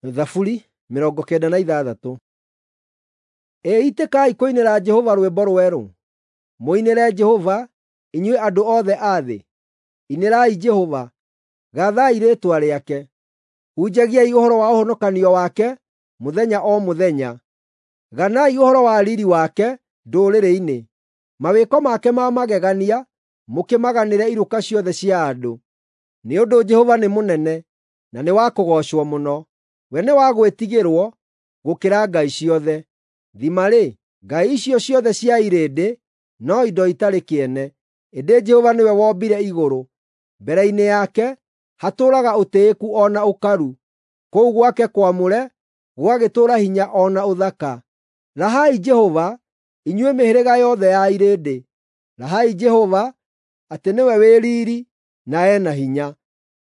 Thaburi 96. Ĩ itĩkai kũinĩra Jehova rwĩmbo rwerũ, mũinĩre Jehova, inyuĩ andũ othe a thĩ. Inĩrai Jehova, gaathai rĩĩtwa rĩake; hunjagiai ũhoro wa ũhonokanio wake mũthenya o mũthenya. Ganai ũhoro wa riiri wake ndũrĩrĩ-inĩ, mawĩko make ma magegania mũkĩmaganĩre iruka ciothe cia andũ. Nĩ ũndũ Jehova nĩ mũnene, na nĩ wa kũgoocwo mũno; we nĩ wa gwĩtigĩrwo gũkĩra ngai ciothe. Thima-rĩ, ngai icio ciothe cia irĩndĩ no indo itarĩ kĩene, ĩndĩ Jehova nĩwe wombire igũrũ. Mbere-inĩ yake hatũũraga ũtĩĩku o na ũkaru, kũu gwake kwamũre gũgagĩtũũra hinya o na ũthaka. Rahai Jehova, inyuĩ mĩhĩrĩga yothe ya irĩndĩ, rahai Jehova atĩ nĩwe wĩ riiri na e na hinya.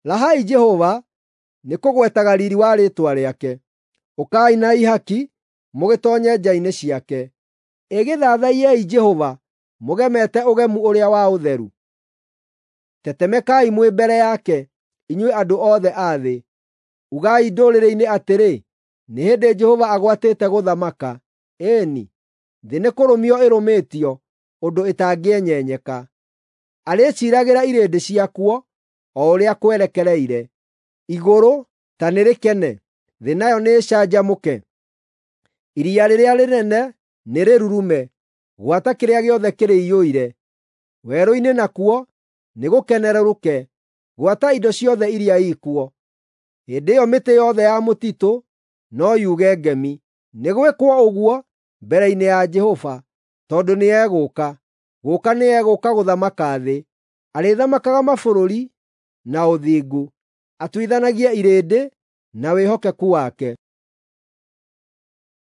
Rahai Jehova nĩ kũgwetaga riiri wa rĩĩtwa rĩake. Ũkai na ihaki mũgĩtoonye nja-inĩ ciake. Ĩ gĩthathaiyei Jehova mũgemete ũgemu ũrĩa wa ũtheru. Tetemekai mwĩ mbere yake, inyuĩ andũ othe a thĩ. Ugai ndũrĩrĩ-inĩ atĩrĩ, “Nĩ hĩndĩ Jehova agwatĩte gũthamaka.” Ĩĩ-ni, thĩ nĩkũrũmio ĩrũmĩtio ũndũ ĩtangĩenyenyeka. Arĩciiragĩra irĩndĩ ciakuo o ũrĩa kwerekereire. Igũrũ ta nĩrĩkene, thĩ nayo nĩĩcanjamũke; iria rĩrĩa rĩnene nĩrĩrurume, gwata kĩrĩa gĩothe kĩrĩiyũire. Werũ-inĩ nakuo nĩgũkenerũrũke, gwata indo ciothe iria ikuo. Hĩndĩ ĩyo mĩtĩ yothe ya mũtitũ no yuge ngemi. Nĩ gwĩkwo ũguo mbere-inĩ ya Jehova, tondũ nĩegũũka, gũũka nĩegũũka gũthamaka thĩ. Arĩthamakaga mabũrũri na ũthingu, atuithanagie irĩndĩ na wĩhokeku wake.